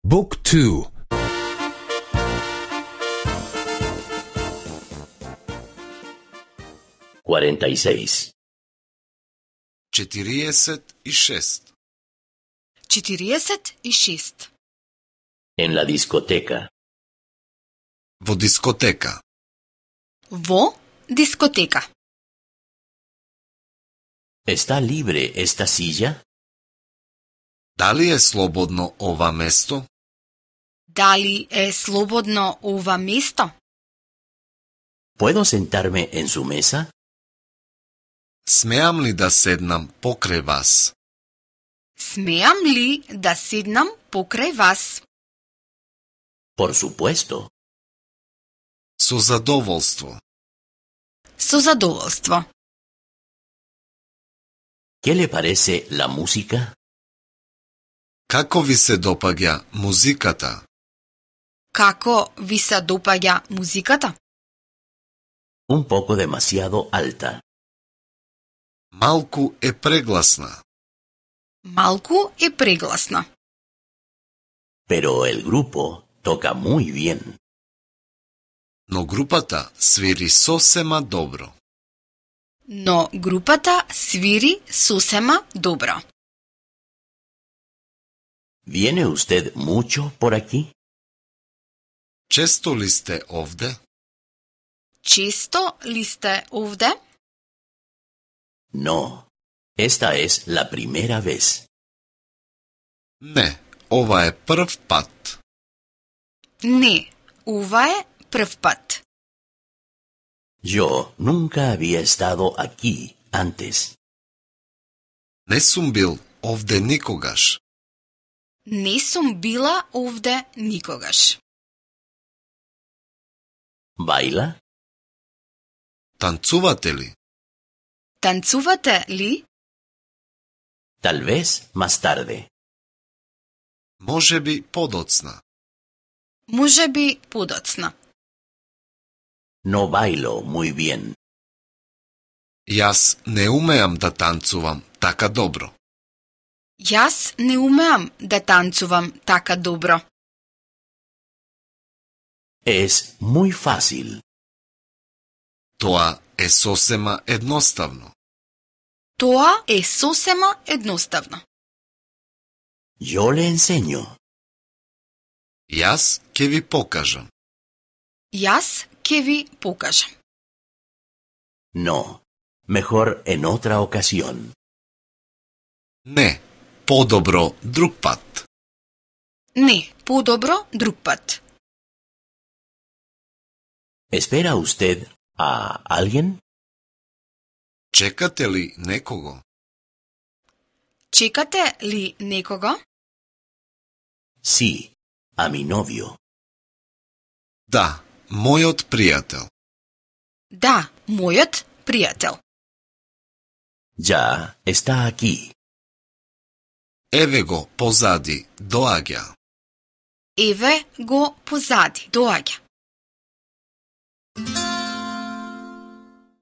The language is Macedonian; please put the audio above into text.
Book 2. 46. 46. 46. En la discoteca. Во дискотека. Во дискотека. ¿Está libre esta silla? Дали е слободно ова место? Дали е слободно ова место? ¿Puedo sentarme en su mesa? Смеам ли да седнам покрај вас? Смеам ли да седнам покрај вас? Por supuesto. Со задоволство. Со задоволство. ¿Qué le parece la música? Како ви се допаѓа музиката? Како ви се допаѓа музиката? Un poco demasiado alta. Малку е прегласна. Малку е прегласна. Pero el grupo toca muy bien. Но групата свири сосема добро. Но групата свири сосема добро. ¿Viene usted mucho por aquí? Често ли сте овде? Често ли сте овде? No. Esta es la primera vez. Не, ова е прв пат. Не, ова е прв пат. Yo nunca había estado aquí antes. Не сум бил овде никогаш. Не сум била овде никогаш. ¿Baila? Танцувате ли? Танцувате ли? Tal vez más tarde. Можеби подоцна. Можеби подоцна. No bailo muy bien. Јас не умеам да танцувам така добро. Јас не умеам да танцувам така добро. Es muy fácil. Тоа е сосема едноставно. Тоа е сосема едноставно. Yo le enseño. Јас ќе ви покажам. Јас ќе ви покажам. No. Mejor en otra ocasión. Не, подобро друг пат. Не, подобро друг пат. ¿Espera usted a alguien? Чекате ли некого? Чекате ли некого? Sí, a mi novio. Да, мојот пријател. Да, мојот пријател. Ya está aquí. Еве го позади, доаѓа. Еве го позади, доаѓа.